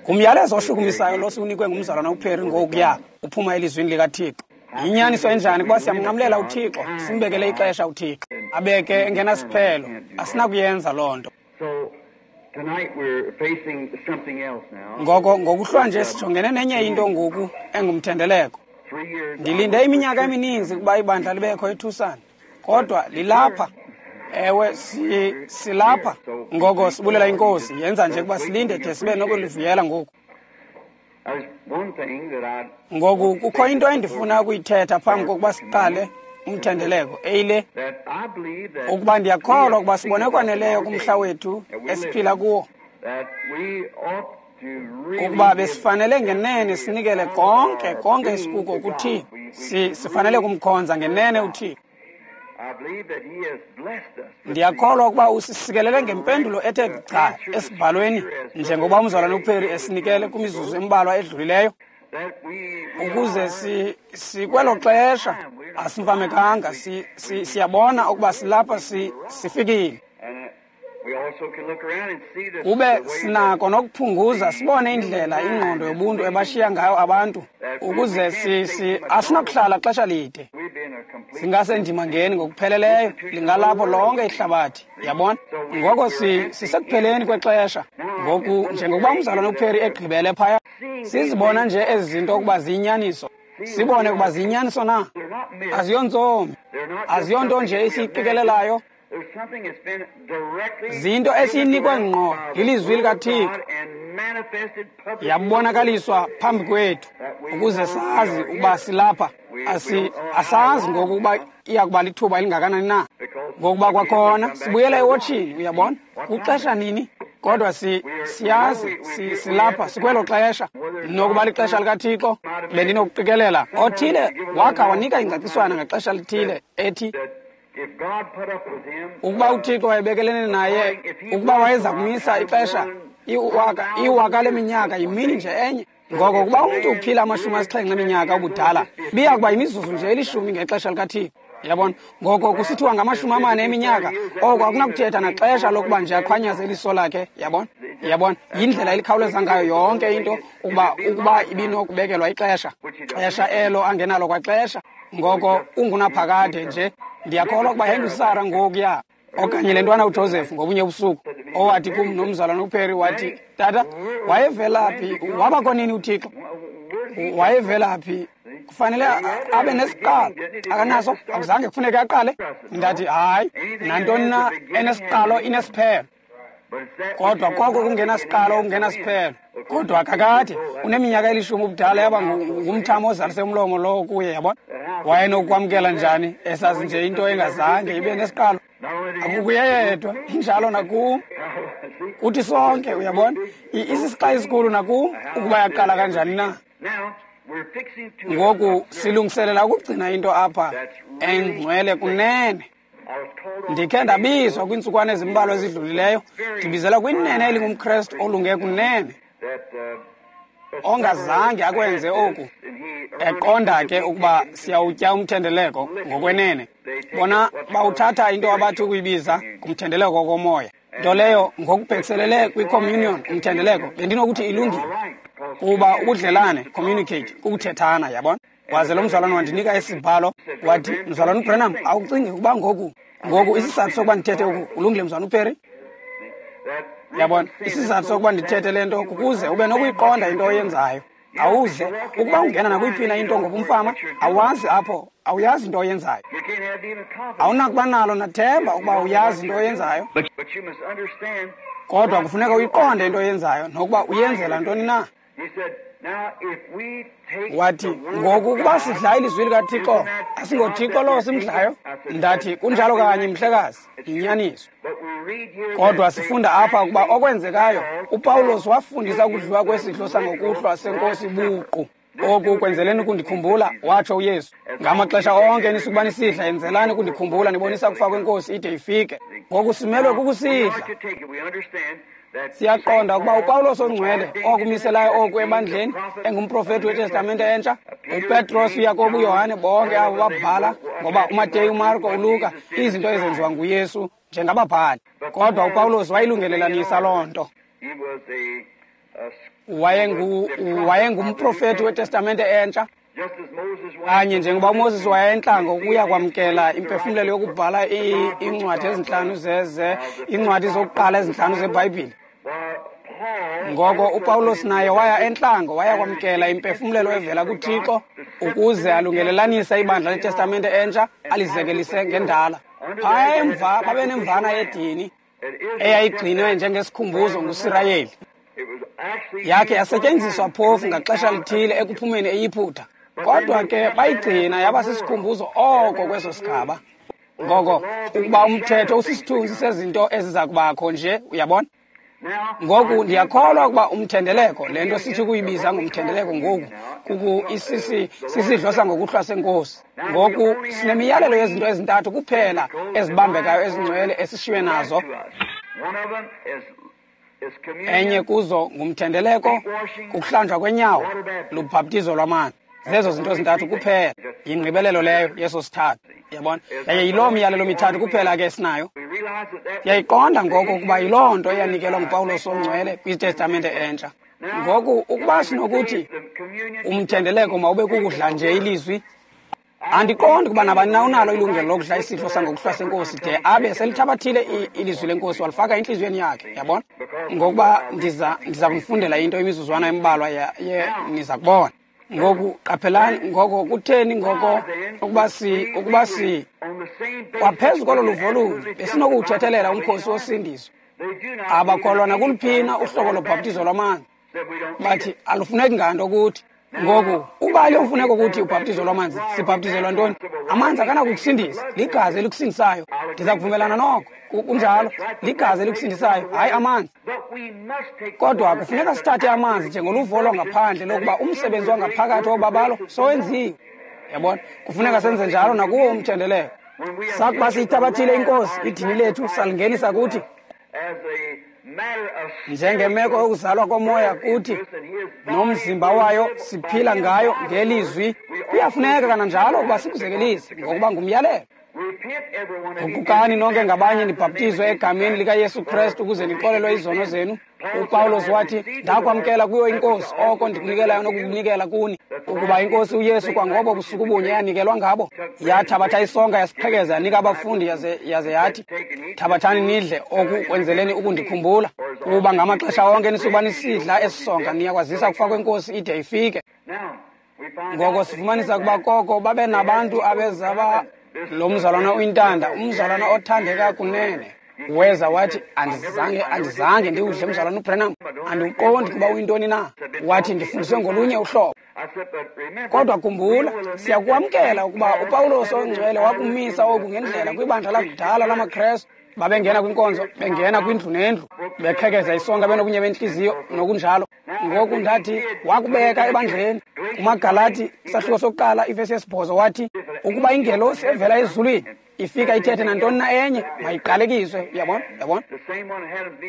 Ngumyalezo oshukumisayo lo siwunikwe ngumzalwana uPerry ngokuya uphuma elizwini likaThixo. Yinyaniso enjani kuba siyamnqamlela uThixo, simbekele ixesha uThixo, abeke engenasiphelo. Asinakuyenza loo nto. Ngoko ngokuhlwa nje sijongene nenye into ngoku engumthendeleko. Ndilinde iminyaka emininzi ukuba ibandla libekho eTucson, kodwa lilapha. Ewe, silapha. Ngoko sibulela iNkosi, yenza nje ukuba silinde de sibe nokulivuyela ngoku. Ngoku kukho into endifuna ukuyithetha phambi kokuba siqale umthendeleko, eyile ukuba ndiyakholwa ukuba sibone kwaneleyo kumhla wethu esiphila kuwo, ukuba besifanele ngenene sinikele konke konke isikuko kuThixo. Sifanele kumkhonza ngenene uThixo. Ndiyakholwa ukuba usisikelele ngempendulo ethe gca esibhalweni, njengoba umzalwane uPerry esinikele kwimizuzu embalwa edlulileyo, ukuze sikwelo xesha asimfamekanga, siyabona ukuba silapha, sifikile. Kube sinako nokuphunguza sibone indlela ingqondo yobuntu ebashiya ngayo abantu, ukuze asinakuhlala xesha lide. Singasendimangeni ngokupheleleyo, lingalapho lonke ihlabathi, yabona. Ngoko sisekupheleni kwexesha. Ngoku njengokuba umzalwane uPerry egqibele phaya, sizibona nje ezi zinto ukuba ziyinyaniso. Sibone ukuba ziyinyaniso na. Aziyontsomi, aziyonto nje esiyiqikelelayo. Zinto esiyinikwe ngqo lilizwi likaThixo, yabonakaliswa phambi kwethu ukuze sazi ukuba silapha. Asazi ngoku ukuba iya kuba lithuba elingakanani na, ngokuba kwakhona sibuyela ewotshini, uyabona, kuxesha nini. Kodwa siyazi silapha, sikwelo xesha. Nokuba lixesha likaThixo, bendinokuqikelela othile wakha wanika ingcaciswana ngexesha lithile ethi ukuba uThixo wayebekelene naye, ukuba wayeza kumisa ixesha iwaka leminyaka yimini nje enye. Ngoko ukuba umntu uphila 70 eminyaka ubudala, biya kuba yimizuzu nje 10 ngexesha likaThixo. Yabona? Ngoko kusithiwa ngama-40 eminyaka, oko akunakuthetha naxesha lokuba nje aqhwanyaze iliso lakhe. Yabona? Yabona? Yindlela elikhawuleza ngayo yonke into, ukuba ibinokubekelwa ixesha, xesha elo angenalo kwaxesha. Ngoko ungunaphakade nje. Ndiyakholwa ukuba yayingusara ngokuya, okanye le ntwana uJoseph ngobunye ubusuku, owathi kum nomzalwana uPerry, wathi, tata, wayevela phi? Wabakho nini uThixo? Wayevela phi? Kufanele abe nesiqalo. Akanaso, akuzange kufuneke aqale. Ndathi, hayi, nantoni na enesiqalo inesiphelo. Kodwa koko kungenasiqalo kungenasiphelo. Kodwa kakade uneminyaka 10 ubudala, yaba ngumthamo ozalise umlomo lowo kuye, yabona. Wayenokwamkela njani esazi nje into engazange ibe nesiqalo? Akukuye yedwa, injalo nakum, kuthi sonke, uyabona. Isisixa esikhulu nakum ukuba yaqala kanjani na. Ngoku silungiselela ukugcina into apha engcwele kunene. Ndikhe ndabizwa kwiintsukwana ezimbalwa ezidlulileyo, ndibizela kwinene elingumKrestu olunge kunene, ongazange akwenze oku, eqonda ke ukuba siyawutya umthendeleko ngokwenene. Bona bawuthatha into abathi ukuyibiza ngumthendeleko wokomoya, nto leyo ngokubhekiselele kwi-communion, umthendeleko, bendinokuthi ilungile, kuba ubudlelane, communicate, kukuthethana, yabona. Waze lo mzalwane wandinika isibhalo, wathi, mzalwane uBranham, awucingi ukuba ngoku isizathu sokuba ndithethe oku ulungile, mzalwane uPerry? Yabona, isizathu sokuba ndithethe le nto kukuze ube nokuyiqonda into oyenzayo. Awuze ukuba ungena nakwiphi na into ngobumfama, awazi apho, awuyazi into oyenzayo. Awunakuba nalo nathemba ukuba uyazi into oyenzayo. Kodwa kufuneka uyiqonde into oyenzayo nokuba uyenzela ntoni na. Wathi, ngoku ukuba sidla ilizwi likaThixo, asingoThixo lowo simdlayo? Ndathi, kunjalo kanye, mhlekazi, yinyaniso. Kodwa sifunda apha ukuba okwenzekayo, uPawulos wafundisa ukudliwa kwesidlo sangokuhlwa senkosi buqu. Oku kwenzeleni ukundikhumbula, watsho uYesu. Ngamaxesha onke nisukuba nisidla, yenzelani ukundikhumbula, nibonisa ukufa kwenkosi ide ifike. Ngoku simelwe kukusidla. Siyaqonda ukuba uPawulos ongcwele okumiselayo oku ebandleni, engumprofeti weTestamente entsha, uPetros, uYakobi, uYohane, bonke abo babhala, ngoba uMateyu, uMarko, uLuka, izinto ezenziwa nguYesu njengababhali. Kodwa uPawulos wayilungelelanisa loo nto. Wayengumprofeti weTestamente entsha, kanye njengoba uMoses wayentlango ukuya kwamkela impefumlelo yokubhala iincwadi ezintlanu iincwadi zokuqala ezintlanu zeBhayibhile. Ngoko uPawulos naye waya entlango waya kwamkela impefumlelo evela kuThixo ukuze alungelelanise ibandla leTestamente entsha alizekelise ngendala. Phaya emva babenemvana yedini eyayigcinwe njengesikhumbuzo nguSirayeli. Yakhe yasetyenziswa phofu ngaxesha lithile ekuphumeni eYiputa, kodwa ke bayigcina yaba sisikhumbuzo oko kweso sigaba. Ngoko ukuba umthetho usisithunzi sezinto eziza kubakho nje, uyabona? Ngoku ndiyakholwa ukuba umthendeleko, le nto sithi kuyibiza ngomthendeleko ngoku, sisidlo sangokuhlwa senkosi. Ngoku sinemiyalelo yezinto ezintathu kuphela ezibambekayo ezingcwele esishiywe nazo. Enye kuzo ngumthendeleko, kukuhlanjwa kwenyawo, lubhaptizo lwamanzi. Zezo zinto ezintathu kuphela. Yingqibelelo leyo yeso sithathu. Yabona? Yaye yiloo miyalelo mithathu kuphela ke esinayo. Yayiqonda ngoko ukuba yiloo nto eyanikelwa nguPawulos ongcwele kwiTestamente entsha. Ngoku ukuba sinokuthi umthendeleko mawube kukudla nje ilizwi, andiqondi ukuba nabani na unalo ilungelo lokudla isidlo sangokuhlwa senkosi de abe selithabathile ilizwi lenkosi walifaka entliziyweni yakhe. Yabona? Ngokuba ndiza kunifundela into imizuzwana embalwa niza kubona. Ngoku qaphelani, ngoko kutheni ngoko ukuba si kwaphezu kolo luvo lunye besinokuwuthethelela umkhosi wosindiso. Abakholwa nakuluphina uhlobo lobhaptizo lwamanzi, bathi alufuneki nganto kuthi. Ngoku uba aliyomfuneko kuthi ubhaptizo lwamanzi, sibhaptizelwa ntoni? Amanzi akanakukusindisa, ligazi elikusindisayo. Ndiza kuvumelana noko, kunjalo, ligazi elikusindisayo, hayi amanzi. Kodwa kufuneka sithathe amanzi njengoluvo lwangaphandle lokuba umsebenzi wangaphakathi wobabalo sowenziwe. Yabona? Kufuneka senze njalo nakuwo umthendeleko. Sakuba siyithabathile inkosi, idini lethu salingenisa kuthi njengemeko yokuzalwa komoya kuthi nomzimba wayo siphila ngayo ngelizwi. Kuyafuneka kananjalo ukuba sikuzekelise ngokuba ngumyalelo. Guqukani nonke ngabanye nibhaptizwe egameni likaYesu Kristu ukuze nixolelwe izono zenu. uPawulos wathi, ndakwamkela kuyo inkosi oko ndikunikelayo nokukunikela kuni, ukuba inkosi uYesu kwangobo busuku bunye yanikelwa ngabo, yathabatha isonka yasiqhekeza yanika abafundi yaze yathi, thabathani nidle oku kwenzeleni ukundikhumbula, kuba ngamaxesha onke nisukuba nisidla esi sonka niyakwazisa kufa kwenkosi ide ifike. Ngoko sifumanisa ukuba koko babe nabantu abezaba lo mzalwana uyintanda, umzalwana othandeka kunene. Weza wathi, andizange ndiwudle mzalwana uBranham, andiwuqondi kuba uyintoni na. Wathi, ndifundiswe ngolunye uhlobo. Kodwa khumbula, siyakwamkela ukuba uPawulos ongcwele wakumisa oku ngendlela kwibandla lakudala lamaKrestu. Babengena kwinkonzo, bengena kwindlu nendlu, beqhekeza isonka benokunye bentliziyo nokunjalo. Ngoku ndathi wakubeka ebandleni. KumaGalati isahluko sokuqala ivesi yesibhozo wathi, ukuba ingelosi evela ezulwini ifika ithethe nantoni na enye, mayiqalekiswe. Uyabona? Uyabona?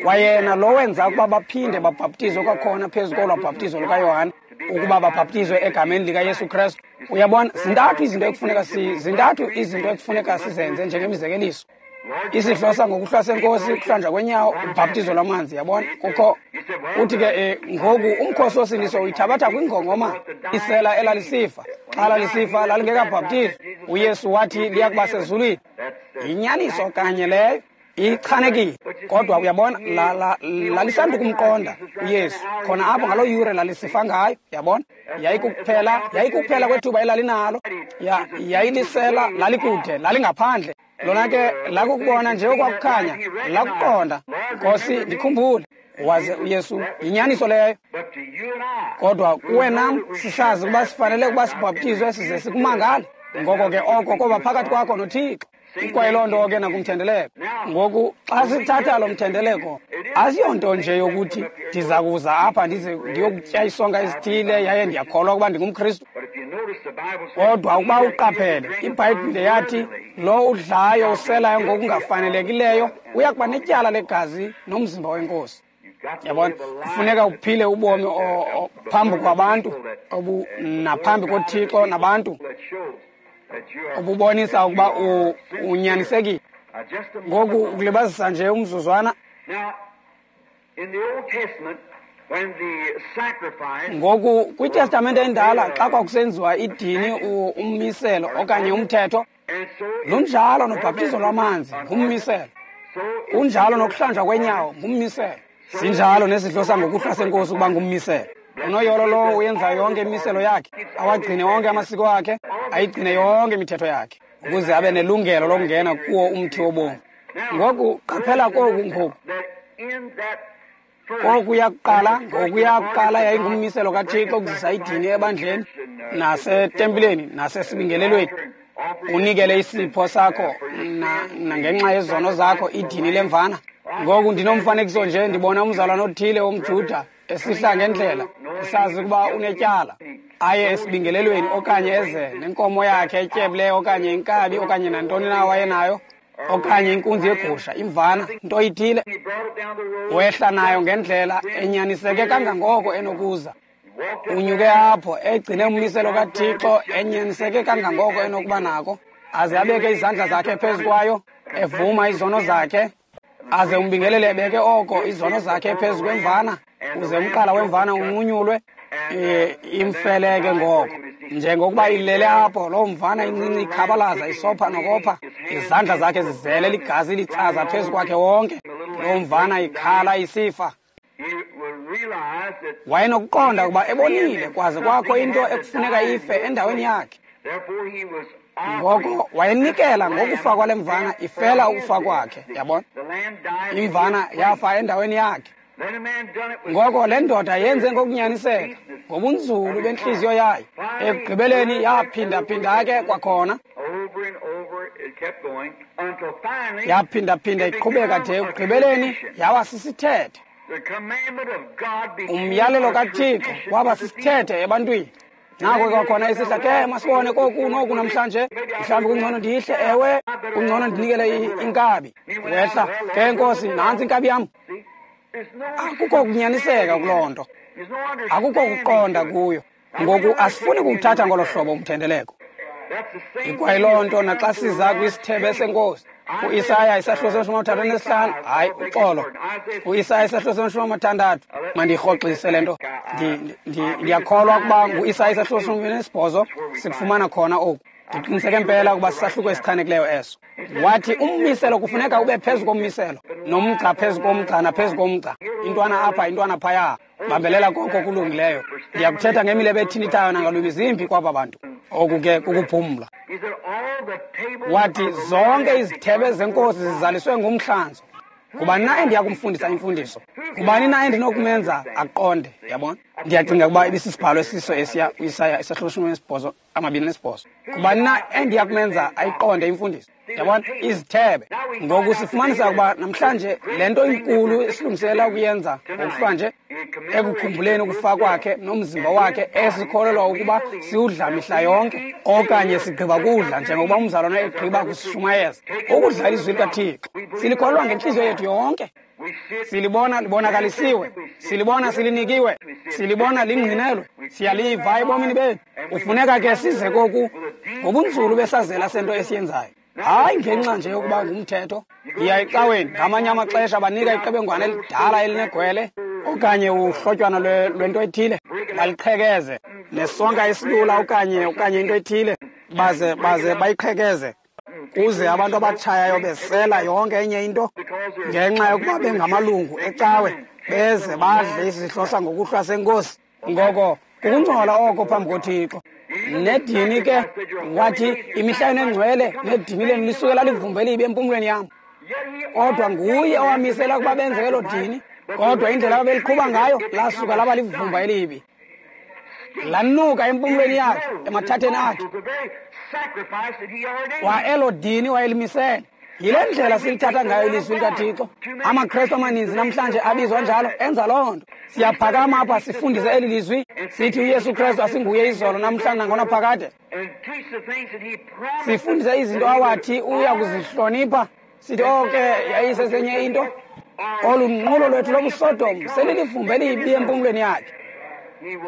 Kwayena lo wenza ukuba baphinde babhaptizwe kwakhona phezu kolwa bhaptizo lukaYohane, ukuba babhaptizwe egameni likaYesu Kristu. Uyabona? Zintathu izinto ekufuneka sizenze njengemizekeliso. Isidlo sangokuhlwa senkosi, ukuhlanjwa kwenyawo, ubhaptizo lwamanzi. Yabona? Kukho uthi ke ngoku umkhosi wosindiso uyithabatha kwingongoma isela elalisifa. Xa lalisifa lalingekabhaptizwa. uYesu wathi liya kuba sezulwini. Yinyaniso kanye leyo, ichanekile. Kodwa uyabona, lalisanda ukumqonda uYesu khona apho ngaloo yure lalisifa ngayo. Yabona? Yayikukuphela kwethuba elalinalo. Yayilisela, lalikude, lalingaphandle. Lona ke lakukubona nje okwakukhanya, lakuqonda. Nkosi, ndikhumbule. Waze uYesu, yinyaniso leyo. Kodwa kuwe nam sisazi ukuba sifanele ukuba sibhaptizwe size sikumangale. Ngoko ke oko koba phakathi kwakho noThixo. Ikwayiloo nto ke nakumthendeleko. Ngoku xa sithatha lo mthendeleko, asiyonto nje yokuthi ndiza kuza apha ndize ndiyokutya isonka esithile yaye ndiyakholwa ukuba ndingumKristu. Kodwa ukuba uqaphele, iBhayibhile yathi lo udlayo uselayo ngokungafanelekileyo uya kuba netyala legazi nomzimba wenkosi. Yabona? Kufuneka uphile ubomi phambi kwabantu naphambi koThixo nabantu obubonisa ukuba unyanisekile. Ngoku ukulibazisa nje umzuzwana. Ngoku kwiTestamente endala xa kwakusenziwa idini ummiselo okanye umthetho, lunjalo nobhaptizo lwamanzi ngummiselo, kunjalo nokuhlanjwa kwenyawo ngummiselo, sinjalo nesidlo sangokuhlwa senkosi ukuba ngummiselo. Unoyolo lowo uyenza yonke imiselo yakhe, awagcine wonke amasiko akhe, ayigcine yonke imithetho yakhe, ukuze abe nelungelo lokungena kuwo umthi wobomi. Ngoku qaphela koku ngoku. Kokuya kuqala, ngokuya kuqala yayingummiselo kaThixo ukuzisa idini ebandleni nasetempileni nasesibingelelweni. Unikele isipho sakho nangenxa yezono zakho idini lemvana. Ngoku ndinomfanekiso nje, ndibona umzalwana othile womJuda esihla ngendlela, esazi ukuba unetyala, aye esibingelelweni okanye eze nenkomo yakhe etyebileyo okanye inkabi okanye nantoni na wayenayo, okanye inkunzi yegusha, imvana, nto ithile. Wehla nayo ngendlela enyaniseke kangangoko enokuza. Unyuke apho egcine ummiselo kaThixo enyaniseke kangangoko enokuba nako, aze abeke izandla zakhe phezu kwayo, evuma izono zakhe, aze umbingeleli ebeke oko izono zakhe phezu kwemvana, uze umqala wemvana unqunyulwe, imfeleke ngoko. Njengokuba ilele apho loo mvana incinci ikhabalaza isopha nokopha, izandla zakhe zizele ligazi litsaza phezu kwakhe wonke, loo mvana ikhala isifa. Wayenokuqonda ukuba ebonile kwaze kwakho into ekufuneka ife endaweni yakhe. Ngoko wayenikela ngokufa kwale mvana ifela ukufa kwakhe, yabona? Imvana yafa endaweni yakhe. Ngoko le ndoda yenze ngokunyaniseka, ngobunzulu bentliziyo yayo. Ekugqibeleni yaphindaphinda ke kwakhona. Yaphindaphinda iqhubeka de ekugqibeleni yaba sisithethe. Umyalelo kaThixo waba sisithethe ebantwini. Nako kwakhona isihla ke, masibone koku noku namhlanje, mhlawumbi kungcono ndihle, ewe, kungcono ndinikele inkabi. Wehla ke, Nkosi, nantsi inkabi yam. Akukho kunyaniseka kuloo nto, akukho kuqonda kuyo. Ngoku asifuni kuwuthatha ngolo hlobo umthendeleko. Ikwayiloo nto naxa siza kwisithebe senkosi. UIsaya isahluko seshumi amathathu anesihlanu, hayi uxolo, uIsaya isahluko seshumi amathandathu, mandirhoxise le nto. Ndiyakholwa ukuba nguIsaya isahluko seshumi nesibhozo sikufumana khona oku. Ndiqiniseke mpela ukuba sisahluko esichanekileyo eso. Wathi ummiselo kufuneka ube phezu kommiselo, nomgca phezu komgca naphezu komgca, intwana apha intwana phaya, bambelela koko kulungileyo. Ndiyakuthetha ngemilebe ethintithayo nangalwimi zimbi kwaba bantu. Oku ke kukuphumla. Wathi zonke izithebe zenkosi zizaliswe ngumhlanzo. Ngubani na endiya kumfundisa imfundiso? Ngubani na endinokumenza aqonde? Yabona? Ndiyacinga ukuba ibisisibhalo esiso esiya uIsaya isahluko 28. Ngubani na endiya kumenza ayiqonde imfundiso? Yabona? Izithebe. Ngoku sifumanisa ukuba namhlanje le nto inkulu esilungiselela ukuyenza ngokuhlwanje, ekukhumbuleni ukufa kwakhe nomzimba wakhe esikholelwa ukuba siwudla mihla yonke, okanye sigqiba kudla njengokuba umzalwana egqiba kusishumayeza, ukudla ilizwi likaThixo. Silikholelwa ngentliziyo yethu yonke. Silibona libonakalisiwe, silibona silinikiwe, silibona lingqinelwe, siyaliva ebomini bethu. Kufuneka ke size koku ngobunzulu besazela sento esiyenzayo. Hayi ngenxa nje yokuba ngumthetho. Yiya ecaweni, ngamanye amaxesha banika iqebengwana elidala elinegwele okanye uhlotywana lwento ethile, baliqhekeze nesonka esilula okanye into ethile, baze bayiqhekeze, kuze abantu abatshayayo besela yonke enye into ngenxa yokuba bengamalungu ecawe, beze badle isidlo sangokuhlwa senkosi. Ngoko kukungcola oko phambi koThixo. Nedini ke, wathi imihla yenu engcwele nedini lenu lisuke lalivumba elibi empumlweni yam. Kodwa nguye owamisela ukuba benze elo dini, kodwa indlela ababeliqhuba ngayo lasuka laba livumba elibi, lanuka empumlweni yakhe, emathatheni akhe. Kwa elo dini wayelimisele. Yile ndlela silithatha ngayo ilizwi likaThixo. AmaKrestu amaninzi namhlanje abizwa njalo enza loo nto. Siyaphakama apha sifundise eli lizwi, sithi uYesu Krestu asinguye izolo namhlanje nangonaphakade. Sifundise izinto awathi uya kuzihlonipha, sithi oke yayisesenye into. Olu nqulo lwethu lobuSodom selilivumba elibi empumlweni yakhe.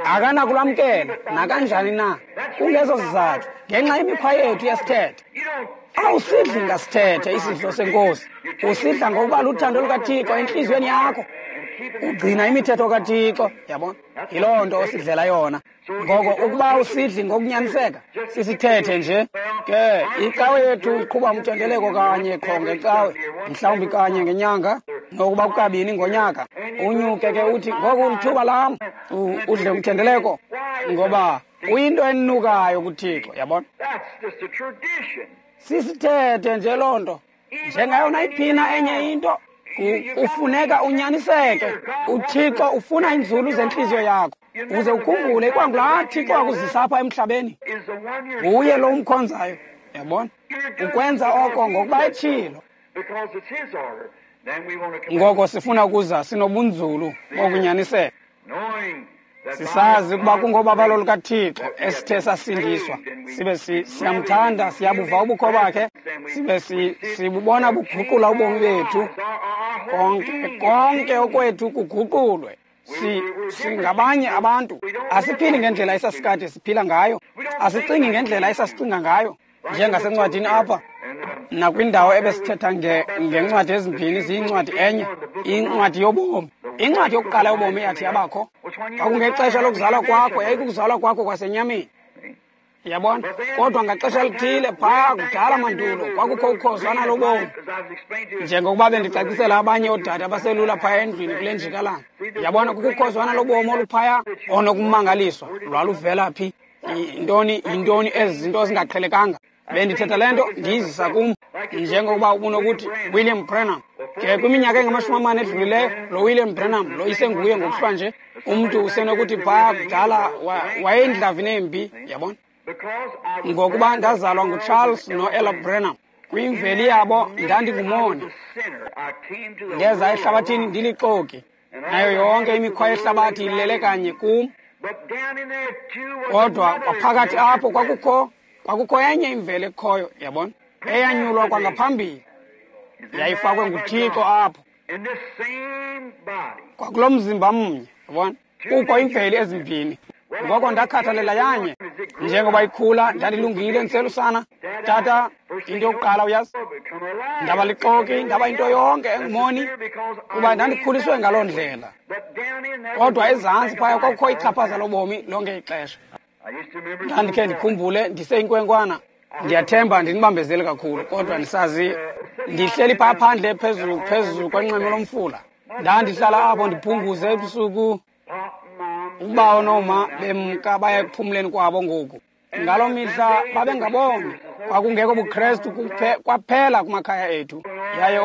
Akanakulamkela nakanjani na. Kungezo sizathu, ngenxa yemikhwa yethu yesithethe. Awusidli ngasithethe isidlo senkosi, usidla ngokuba luthando lukaThixo entliziyweni yakho. Ugcina imithetho kaThixo, yabona? Yiloo nto osidlela yona. Ngoko ukuba usidli ngokunyaniseka, sisithethe nje. Ke icawe yethu iqhuba umthendeleko kanye qho ngecawe, mhlawumbi kanye ngenyanga, nokuba kukabini ngonyaka. Unyuke ke uthi, ngoku lithuba lam, udle umthendeleko, ngoba uyinto enukayo kuThixo, yabona? Sisithethe nje loo nto. Njengayo nayiphina enye into, kufuneka unyaniseke. UThixo ufuna inzulu zentliziyo yakho. Uze ukhumbule ikwangulaa Thixo akuzisa apha emhlabeni. Nguye lo umkhonzayo, yabona? Ukwenza oko ngokuba etshilo. Ngoko sifuna ukuza sinobunzulu bokunyaniseka. Sisazi ukuba kungobabalo lukaThixo esithe sasindiswa, sibe siyamthanda, siyabuva ubukho bakhe, sibe sibubona buguqula ubomi bethu. Konke okwethu kuguqulwe. Singabanye abantu. Asiphili ngendlela esasikade siphila ngayo, asicingi ngendlela esasicinga ngayo. Njengasencwadini apha nakwindawo ebesithetha ngencwadi ezimbini ziyincwadi enye, incwadi yobomi. Incwadi yokuqala yobomi yathi yabakho kwakungexesha lokuzalwa kwakho, yayikukuzalwa kwakho kwasenyameni, yabona? Kodwa ngaxesha lithile phaa kudala mandulo kwakukho ukhozwana lobomi, njengokuba bendicacisela abanye oodade abaselula phaya endlwini kule njikalanga, yabona? Kukho ukhozwana lobomi oluphaya onokumangaliswa. Lwaluvela phi? Yintoni ezi zinto zingaqhelekanga? Bendithetha le nto ndiyizisa kum, njengokuba ubunokuthi William Branham. Ke kwiminyaka engama-40 edlulileyo, lo William Branham lo isenguye ngokuhlwa nje. Umntu usenokuthi phaa kudala wayeyindlavini embi, yabona? Ngokuba ndazalwa nguCharles noElla Branham. Kwimveli yabo ndandingumoni. Ndeza ehlabathini ndilixoki. Nayo yonke imikhwa yehlabathi ilele kanye kum. Kodwa kwaphakathi apho kwakukho enye imveli ekhoyo, yabona? Eyanyulwa kwangaphambili. Yayifakwe nguThixo apho. Kwakulo mzimba mnye, yabona? Kukho imveli ezimbini. Ngoko ndakhathalela yanye. Njengoba ikhula, ndandilungile ndiselusana. Tata, into yokuqala uyazi, ndaba lixoki, ndaba into yonke engumoni, kuba ndandikhuliswe ngaloo ndlela. Kodwa ezantsi phaya kwakukho ichaphaza lobomi lonke ixesha. Ndandikhe ndikhumbule ndiseyinkwenkwana. Ndiyathemba ndinibambezele kakhulu, kodwa ndisazi ndihleli phaa phandle phezulu kwenxweme lomfula. Ndandihlala apho ndiphunguze ebusuku. Ubawo nooma bemka baye ekuphumleni kwabo ngoku. Ngaloo mihla babengaboni, kwakungekho buKrestu kwaphela kumakhaya ethu. Yaye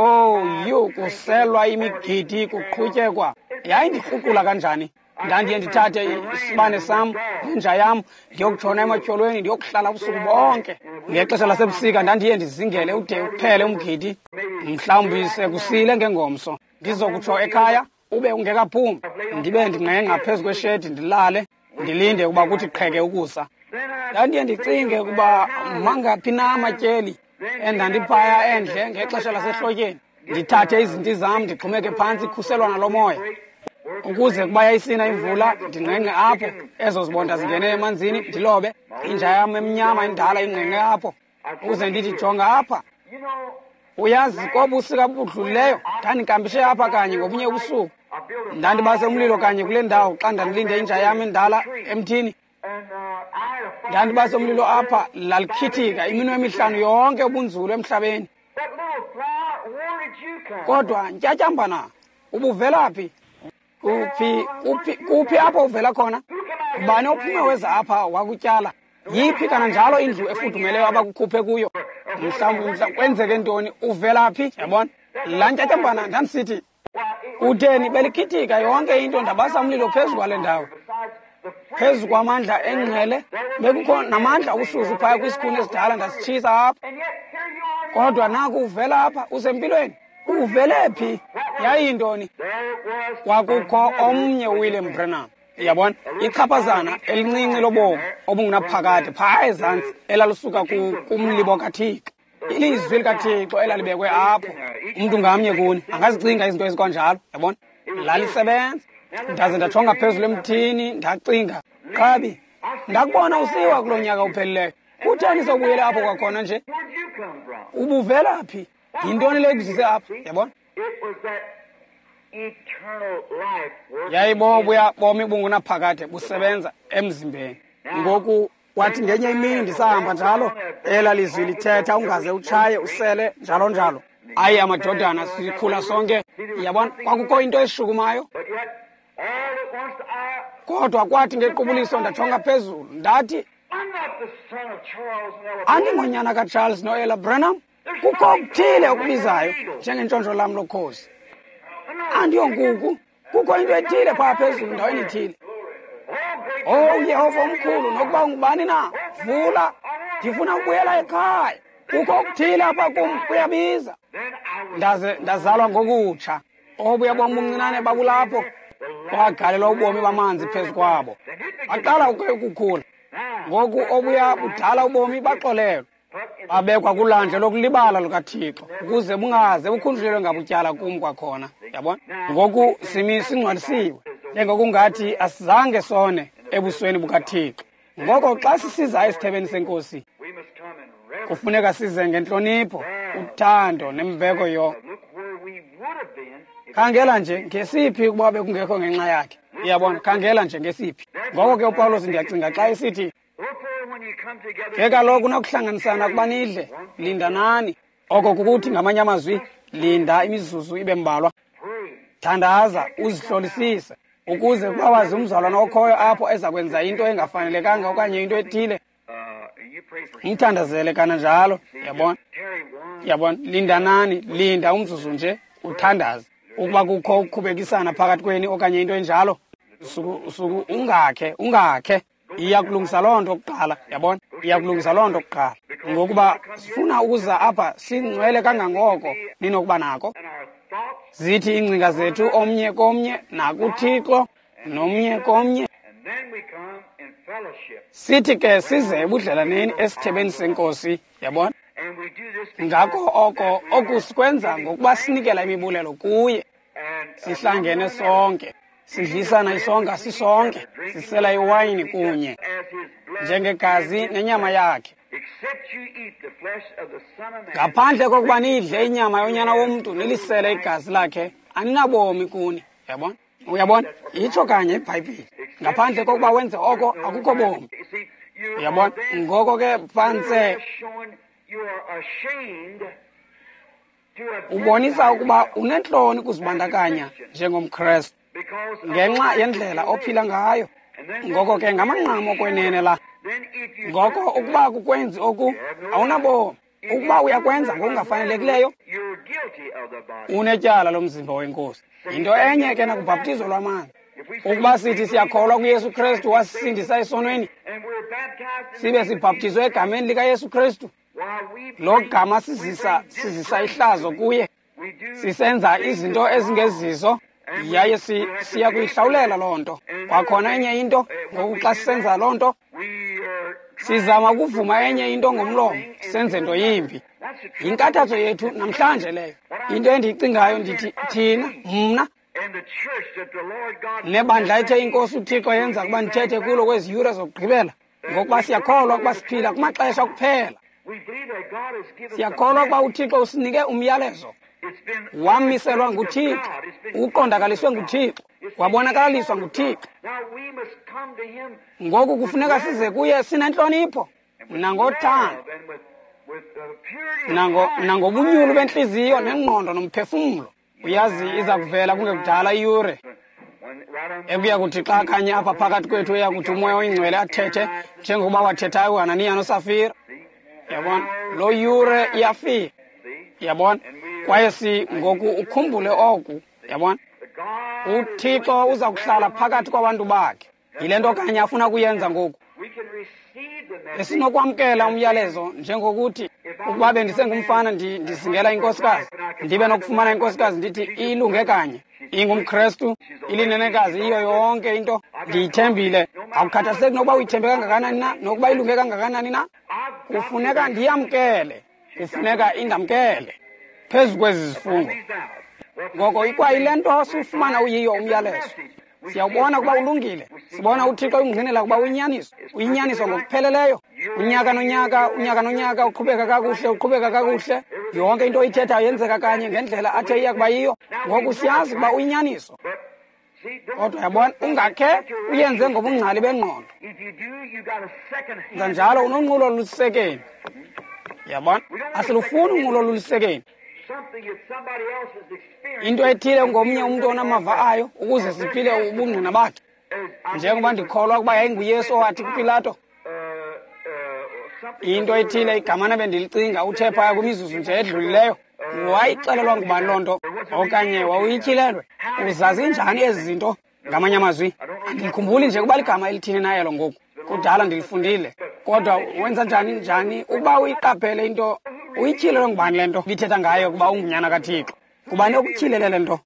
kuselwa imigidi, kuqhutyekwa. Yayindikruqula kanjani? Ndandiye ndithathe isibane sam nenja yam ndiyokutshona ematyholweni, ndiyokuhlala ubusuku bonke. Ngexesha lasebusika ndandiye ndizingele ude uphele umgidi, mhlawumbi sekusile ngengomso. Ndizokutsho ekhaya ube ungekaphumi, ndibe ndingqengqa phezu kweshedi ndilale, ndilinde ukuba kuthi qheke ukusa. Ndandiye ndicinge ukuba mangaphi na amatyeli endandiphaya endle ngexesha lasehlotyeni. Ndithathe izinti zam ndixhomeke phantsi ikhuselwana lomoya, ukuze kuba yayisina imvula ndingqengqe apho, ezo zibonda zingene emanzini ndilobe. Inja yam emnyama indala ingqengqe apho, ukuze ndithi jonga apha. Uyazi, kobusika budlulileyo ndandinkampishe apha kanye ngobunye ubusuku. Ndandibase umlilo kanye kule ndawo xa ndandilinde inja yam endala emthini. Ndandibase umlilo apha, lalikhithika iminwe emihlanu yonke ubunzulu emhlabeni. Kodwa ntyatyambana, ubuvela phi? Kuphi apho uvela khona? Ubani ophume weza apha wakutyala? Yiphi kananjalo indlu efudumeleyo abakukhuphe kuyo? Mhlawumbi kwenzeke ntoni? Uvela phi? Yabona? Laa ntyatyambana ndandisithi, utheni belikhithika yonke into, ndabasa umlilo phezu kwale ndawo. Phezu kwamandla engqele, bekukho namandla obushushu phaya kwisikhuni esidala, ndasitshisa apha. Kodwa naku uvela apha, usempilweni. Uvele phi? Yayintoni? Kwakukho omnye William Branham. Yabona? Ichaphazana elincinci lobomi obungunaphakade phaa ezantsi elalisuka kumlibo kaThixo. Ilizwi likaThixo elalibekwe apho. Umntu ngamnye kuni angazicinga izinto ezikwanjalo, yabona? Lalisebenza. Ndaze ndajonga phezulu emthini, ndacinga, qabi, ndakubona usiwa kulo nyaka uphelileyo. Kutheni sowubuyele apho kwakhona nje? Ubuvela phi? Yintoni le ikuzise apha, yabona? Yayibobuya bomi bungunaphakade busebenza emzimbeni. Ngoku wathi ngenye imini ndisahamba njalo, ela lizwi lithetha ungaze utshaye usele njalo njalo. Ayi amadodana sikhula sonke, yabona kwakukho into eshukumayo. Kodwa kwathi ngequbuliso ndajonga phezulu ndathi, andingonyana kaCharles noElla Branham. Kukho okuthile okubizayo njengentshontsho lam lokhozi. Andiyonkuku, kukho into ethile phaa phezulu ndaweni ithile. Oh Yehova omkhulu, nokuba ungubani na, vula, ndifuna ukubuyela ekhaya. Kukho okuthile apha kum kuyabiza. Ndaze ndazalwa ngokutsha. Obuya bomi buncinane babulapho, kwagalelwa ubomi bamanzi phezu kwabo. Baqala ukukhula. Ngoku obuya budala ubomi baxolelwa, babekwa kulandle lokulibala lukaThixo ukuze bungaze bukhunjulelwe ngabutyala kum kwakhona. Yabona? Ngoku simi singcwalisiwe, njengokungathi asizange sone ebusweni bukaThixo. Ngoko xa sisiza esithebeni senkosi, kufuneka size ngentlonipho, uthando nembeko yo. Khangela nje ngesiphi ukuba bekungekho ngenxa yakhe. Uyabona, khangela nje ngesiphi. Ngoko ke uPawulos ndiyacinga xa esithi, ke kaloku nakuhlanganisana kuba nidle, lindanani. Oko kukuthi ngamanye amazwi, linda imizuzu ibe mbalwa. Thandaza, uzihlolisise, ukuze kuba wazi umzalwana okhoyo apho eza kwenza into engafanelekanga okanye into ethile, umthandazele kananjalo. Yabona? Yabona, lindanani, linda umzuzu nje, uthandaze. Ukuba kukho ukukhubekisana phakathi kweni okanye into enjalo, suku ungakhe. Iyakulungisa loo nto kuqala, yabona? Iyakulungisa loo nto kuqala. Ngokuba sifuna ukuza apha singcwele kangangoko ninokuba nako. Zithi iingcinga zethu omnye komnye nakuThixo nomnye komnye. Sithi ke size ebudlelaneni esithebeni senkosi, yabona? Ngako oko oku sikwenza ngokuba sinikela imibulelo kuye. Sihlangene sonke, sidlisana isonka sisonke, sisela iwayini kunye njengegazi nenyama yakhe. Ngaphandle kokuba nidle inyama yonyana womntu nilisele igazi lakhe, aninabomi kuni. Yabona? Uyabona? Itsho kanye iBhayibhile. Ngaphandle kokuba wenze oko, akukho bomi. Uyabona? Ngoko ke phantse ubonisa ukuba unentloni kuzibandakanya njengomKrestu ngenxa yendlela ophila ngayo. Ngoko ke ngamanqam okwenene la. Ngoko ukuba kukwenzi oku, awunabomi. Ukuba uyakwenza ngokungafanelekileyo, unetyala lomzimba wenkosi. Yinto enye ke nakubhaptizo lwamanzi. Ukuba sithi siyakholwa kuYesu Kristu wasisindisa esonweni, sibe sibhaptizwe egameni likaYesu Kristu, lo gama sizisa ihlazo kuye, sisenza izinto ezingezizo, yaye siya kuyihlawulela loo nto. Kwakhona enye into, ngoku xa sisenza loo nto, sizama ukuvuma enye into ngomlomo, senze nto yimbi. Yinkathazo yethu namhlanje leyo. Into endiyicingayo ndithi thina, mna, nebandla ethe iNkosi uThixo yenza ukuba ndithethe kulo kwezi yure zokugqibela, ngokuba siyakholwa ukuba siphila kumaxesha kuphela. Siyakholwa ukuba uThixo usinike umyalezo. Wamiselwa nguThixo, uqondakaliswe nguThixo, wabonakaliswa nguThixo. Ngoku kufuneka size kuye sinentlonipho nangothando, nangobunyulu bentliziyo nengqondo nomphefumlo. Uyazi iza kuvela kungekudala iyure ekuya kuthi xa kanye apha phakathi kwethu eya kuthi uMoya oyiNgcwele athethe njengokuba wathethayo uHananiya noSafira. Yabona, loo yure iyafika. Yabona, kwaye ngoku ukhumbule oku. Yabona, uThixo uza kuhlala phakathi kwabantu bakhe. Yile nto kanye afuna kuyenza ngoku. Esinokwamkela umyalezo njengokuthi ukuba bendisengumfana ndizingela inkosikazi, ndibe nokufumana inkosikazi ndithi ilunge kanye, ingumKrestu, ilinenekazi, iyo yonke into ndiyithembile. Akukhathaliseki nokuba uyithembe kangakanani na, nokuba ilunge kangakanani na, kufuneka ndiyamkele, kufuneka indamkele phezu kwezi zifungo. Ngoko ikwayile nto siwufumana uyiyo umyalezo. Siyawubona ukuba ulungile, sibona uThixo uyingqinela ukuba uyinyaniso, uyinyaniso ngokupheleleyo. Unyaka nonyaka, unyaka nonyaka, uqhubeka kakuhle, uqhubeka kakuhle. Yonke into oyithethayo yenzeka kanye ngendlela athe iya kuba yiyo. Ngoku siyazi ukuba uyinyaniso. Kodwa yabona, ungakhe uyenze ngobungcali bengqondo. Nza njalo unonqulo olusekeni. Yabona, asilufuni unqulo olusekeni. Into ethile ngomnye umntu onamava ayo ukuze siphile ubungqina bakhe. Njengoba ndikholwa ukuba yayinguYesu owathi kuPilato, into ethile igamana bendilicinga uthe phaya kwimizuzu nje edlulileyo. Wayixelelwa ngubani loo nto? Okanye wawuyityhilelwe? Uzazi njani ezi zinto? Ngamanye amazwi, andikhumbuli nje kuba ligama elithini na elo ngoku. Kudala ndilifundile. Kodwa wenza njani ukuba uyiqaphele into? Uyityhilelwe ngubani le nto ibithetha ngayo ukuba ungunyana kaThixo? Ngubani okutyhilele le nto?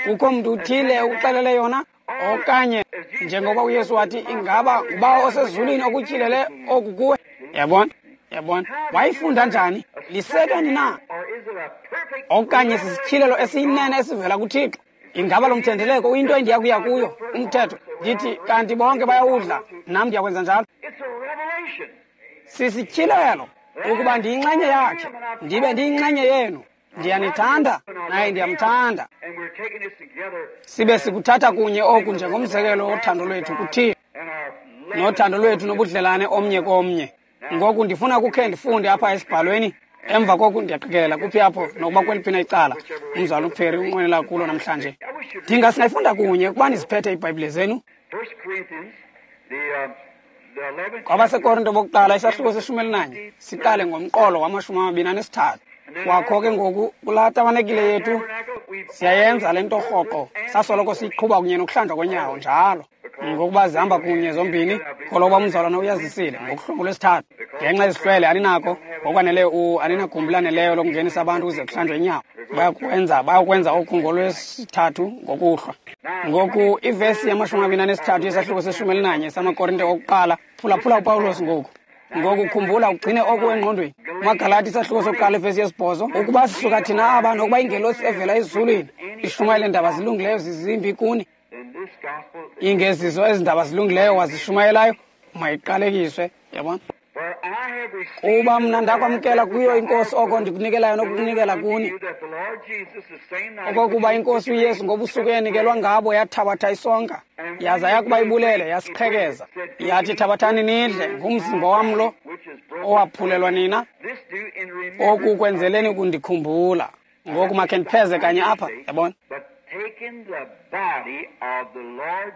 Kukho mntu uthile okuxelele yona? Okanye njengoba uYesu wathi, ingaba nguBawo osezulwini okutyhilele oku kuwe? Yabona? Yabona? Wayifunda njani? Lisekeni na? Okanye sisityhilelo esiyinene esivela kuThixo? Ingaba lo mthendeleko uyinto endiya kuya kuyo? Umthetho ndithi kanti bonke bayawudla, nam ndiyakwenza njalo. Sisityhilelo ukuba ndiyinxenye yakhe, ndibe ndiyinxenye yenu. Ndiyanithanda naye ndiyamthanda. Sibe sikuthatha kunye oku njengomzekelo wothando lwethu kuThixo nothando lwethu nobudlelane omnye komnye. Ngoku ndifuna kukhe ndifunde apha esibhalweni. Emva koku ndiyaqikelela kuphi apho nokuba kweliphi na icala umzalwana uPerry unqwenela kulo namhlanje. Ndinga singayifunda kunye ukuba niziphethe iiBhayibhile zenu. KwabaseKorinto bokuqala isahluko se-11 siqale ngomqolo wama-23. Kwakho ke ngoku kulaa tabanekile yethu siyayenza le nto rhoqo, sasoloko siyiqhuba kunye nokuhlanjwa konyawo njalo, ngokuba zihamba kunye zombini. Koloba umzalwana uyazisile ngokuhlungu lwesithathu ngenxa yezihlwele aninako ngokwaneleyo, aninagumbi laneleyo lokungenisa abantu ukuze kuhlanjwe inyawo. Bayakwenza oku ngolwesithathu ngokuhlwa. Ngoku ivesi yama-23 yesahluko se-11 samaKorinte okuqala. Phulaphula uPawulos ngoku. Ngoku khumbula ugcine oku engqondweni. MaGalati isahluko sokuqala ivesi yesi-8, ukuba sisuka thina aba nokuba ingelosi evela ezulwini ishumayele ndaba zilungileyo zizimbi kuni, ingezizo ezi ndaba zilungileyo wazishumayelayo mayiqalekiswe. Yabona? Kuba mna ndakwamkela kuyo iNkosi oko ndikunikelayo nokukunikela kuni, okokuba iNkosi uYesu ngobusuku eyanikelwa ngabo yathabatha isonka, yaza yakuba ibulele yasiqhekeza, yathi, thabathani nidle, ngumzimba wam lo owaphulelwa nina, oku kwenzeleni ukundikhumbula. Ngoku makhe ndipheze kanye apha, yabona?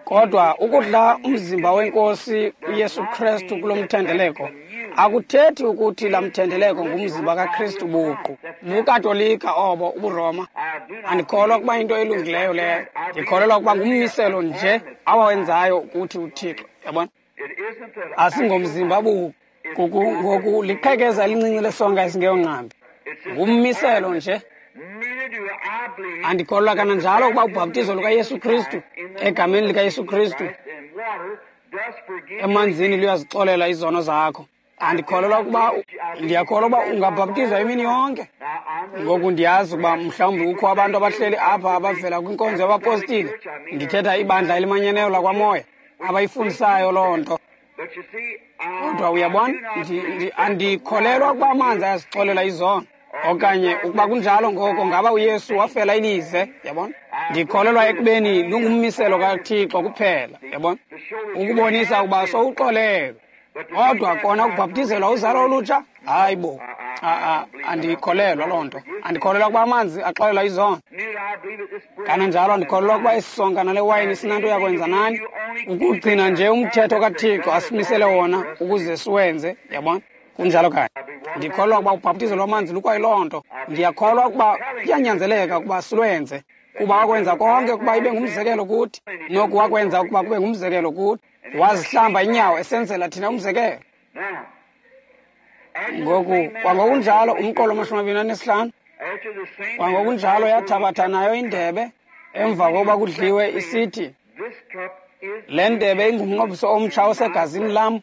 Kodwa ukudla umzimba wenkosi uYesu Kristu kulo mthendeleko akuthethi ukuthi laa mthendeleko ngumzimba kaKristu buqu. BuKatolika obo, ubuRoma. Andikholwa ukuba into elungileyo leyo. Ndikholelwa ukuba ngummiselo nje awawenzayo ukuthi uThixo, yabona? Asingomzimba buqu. Ngoku liqhekeza elincinci lesonka esingeyongqambi. Ngummiselo nje. Andikholelwa kananjalo ukuba ubhaptizo lukaYesu Kristu egameni likaYesu Kristu emanzini luyazixolela izono zakho. Andikholelwa ukuba, ndiyakholwa ukuba ungabhaptizwa imini yonke. Ngoku ndiyazi ukuba mhlawumbi kukho abantu abahleli apha abavela kwinkonzo yabapostile, ndithetha ibandla elimanyeneyo lakwaMoya, abayifundisayo loo nto. Kodwa uyabona, andikholelwa ukuba amanzi ayazixolela izono. Okanye ukuba kunjalo, ngoko ngaba uYesu wafela ilize, yabona? Ndikholelwa ekubeni lungummiselo kaThixo kuphela, yabona? Ukubonisa ukuba sowuxolelwe. Kodwa kona ukubhaptizelwa uzalo olutsha, hayi bo, andikholelwa loo nto. Andikholelwa ukuba amanzi axolela izono. Kananjalo andikholelwa ukuba isonka nale wayini sinanto yakwenza nani. Ukugcina nje umthetho kaThixo asimisele wona ukuze siwenze, yabona? Kunjalo kanye. Ndikholelwa ukuba ubhaptizo lwamanzi lukwayiloo nto. Ndiyakholwa ukuba kuyanyanzeleka ukuba silwenze, kuba wakwenza konke ukuba ibe ngumzekelo kuthi, noku wakwenza ukuba kube ngumzekelo kuthi. Wazihlamba inyawo esenzela thina umzekelo. Ngoku kwangokunjalo umqolo 25, kwangokunjalo yathabatha nayo indebe emva kokuba kudliwe, isithi, le ndebe ingumnqophiso omtsha osegazini lam.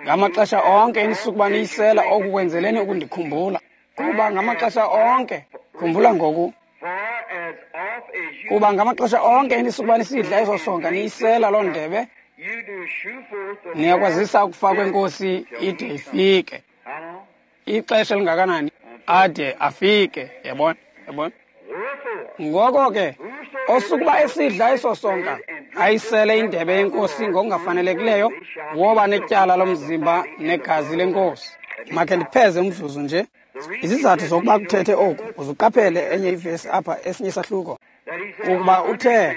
Ngamaxesha onke enisukuba niyisela oku kwenzeleni ukundikhumbula. Kuba ngamaxesha onke, khumbula ngoku, kuba ngamaxesha onke enisukuba nisidla eso sonka niyisela loo ndebe, niyakwazisa ukufa kwenkosi ide ifike. Ixesha elingakanani? ade afike. Yabona? Yabona? Ngoko ke, osukuba esidla eso sonka, ayisele indebe yenkosi ngokungafanelekileyo, woba netyala lomzimba negazi lenkosi. Makhe ndipheze umzuzu nje. Izizathu zokuba kuthethe oku, uzuqaphele enye ivesi apha, esinye isahluko. Ukuba uthe,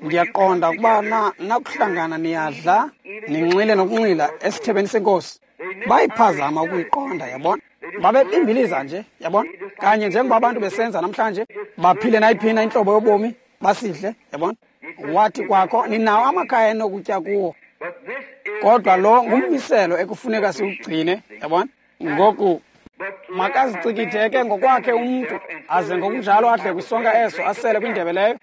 ndiyaqonda ukuba nakuhlangana niyadla, ninxile nokunxila esithebeni senkosi. Bayiphazama ukuyiqonda, yabona? Babebimbiliza nje, yabona? Kanye njengoba abantu besenza namhlanje, baphile nayiphina intlobo yobomi, basidle, yabona? Wathi kwakho, ninawo amakhaya enokutya kuwo. Kodwa lo ngummiselo ekufuneka siwugcine, yabona? Ngoku makazicikitheke ngokwakhe umntu, aze ngokunjalo adle kwisonka eso, asele kwindebe leyo.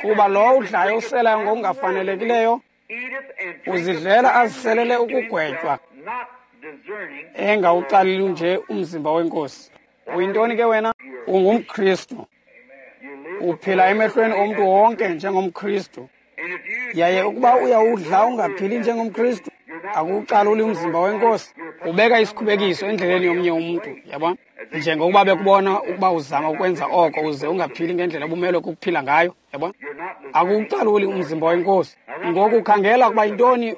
Kuba lowo udlayo uselayo ngokungafanelekileyo, uzidlela aziselele ukugwetywa, engawucaleli nje umzimba wenkosi. Uyintoni ke wena? UngumKristu. Uphila emehlweni omntu wonke njengomKristu. Yaye ukuba uyawudla ungaphili njengomKristu, akuwucaluli umzimba wenkosi. Ubeka isikhubekiso endleleni yomnye umntu, yabona? Njengokuba bekubona ukuba uzama ukwenza oko uze ungaphili ngendlela obumelwe kukuphila ngayo, yabona? Akuwucaluli umzimba wenkosi. Ngoku khangela ukuba yintoni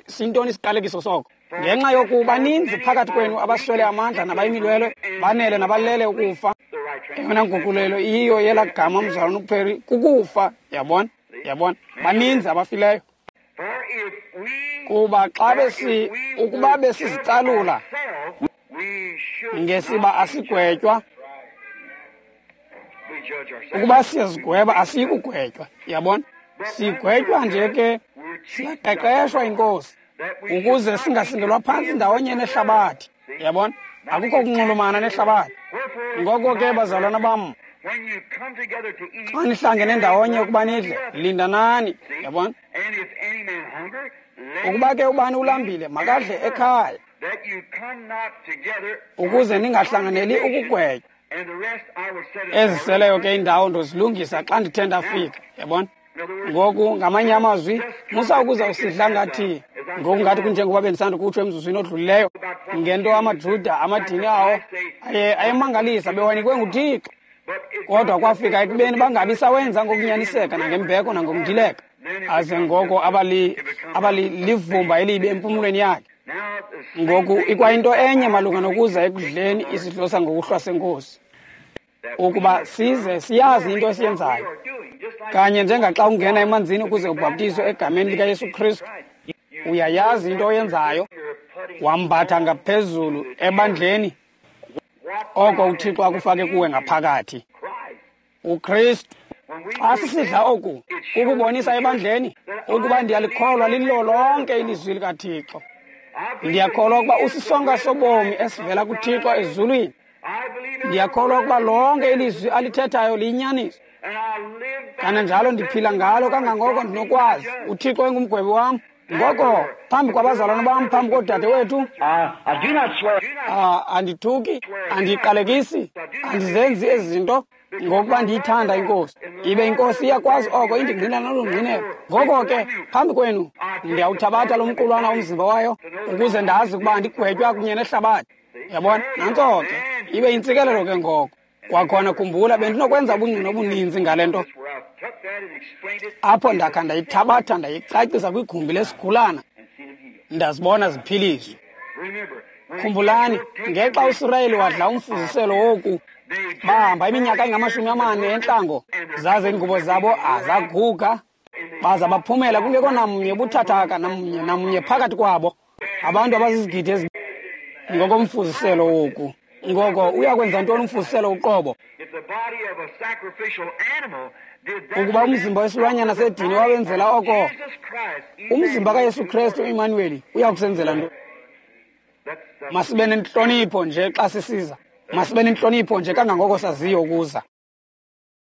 sintoni isiqalekiso soko. Ngenxa yoku baninzi phakathi kwenu abaswele amandla nabayimilwelwe, banele nabalele ukufa. Eyona nguqulelo iyiyo yelaa gama mzalwana uPerry kukufa, yabona? Yabona? Baninzi abafileyo. Kuba xa ukuba besizicalula ngesiba asigwetywa, ukuba siyazigweba asiyikugwetywa, yabona? Sigwetywa nje ke, siyaqeqeshwa inkosi ukuze singasingelwa phantsi ndawonye nehlabathi, yabona? Akukho kunxulumana nehlabathi. Ngoko ke bazalwana bam, xa nihlangene ndawonye ukuba nidle, lindanani, yabona? Ukuba ke ubani ulambile, makadle ekhaya, ukuze ningahlanganeli ukugwetywa. Eziseleyo ke indawo ndozilungisa xa ndithe ndafika, yabona? Ngoku ngamanye amazwi, musa ukuza usidla ngathi, ngoku ngathi kunjengoba bendisanda kutsho emzuzwini odlulileyo, ngento amaJuda amadini awo ayemangalisa bewanikwe nguThixo. Kodwa kwafika ekubeni bangabi sawenza ngokunyaniseka nangembeko nangokundileka. Aze ngoko abalivumba elibi empumlweni yakhe. Ngoku ikwayinto enye malunga nokuza ekudleni isidlo sangokuhlwa senkosi, ukuba size siyazi into esiyenzayo. Kanye njengaxa ungena emanzini ukuze ubhaptizwe egameni likaYesu Kristu, uyayazi into oyenzayo. Wambatha ngaphezulu ebandleni oko uThixo akufake kuwe ngaphakathi, uKristu. Xa sisidla oku, kukubonisa ebandleni ukuba ndiyalikholwa lilo lonke ilizwi likaThixo. Ndiyakholwa ukuba usisonka sobomi esivela kuThixo ezulwini. Ndiyakholwa ukuba lonke ilizwi alithethayo liyinyaniso. Kananjalo ndiphila ngalo kangangoko ndinokwazi. uThixo engumgwebi wam. Ngoko phambi kwabazalwana bam, phambi koodade wethu, andithuki, andiqalekisi, andizenzi ezi zinto ngokuba ndiyithanda inkosi. Ibe inkosi iyakwazi oko, indingqina nolungqinelo. Ngoko ke phambi kwenu ndiyawuthabatha lo mqulwana umzimba wayo ukuze ndazi ukuba andigwetywa kunye nehlabathi. Yabona? Nantso ke, ibe yintsikelelo ke ngoko. Kwakhona khumbula, bendinokwenza ubungqina obuninzi ngale nto. Apho ndakha ndayithabatha ndayicacisa kwigumbi lesigulana, ndazibona ziphiliswa. Khumbulani, ngexa uSirayeli wadla umfuziselo woku, bahamba iminyaka engama-40 entlango, zaze iingubo zabo azaguga, baza baphumela kungekho namnye buthathaka namnye phakathi kwabo, abantu abazizigidi ngokomfuziselo woku. Ngoko uyakwenza ntoni umfuziselo uqobo? Ukuba umzimba wesilwanyana sedini wawenzela oko, umzimba kaYesu Kristu uImanuweli uyakusenzela nto? Masibe nentlonipho nje xa sisiza. Masibe nentlonipho nje kangangoko saziyo ukuza.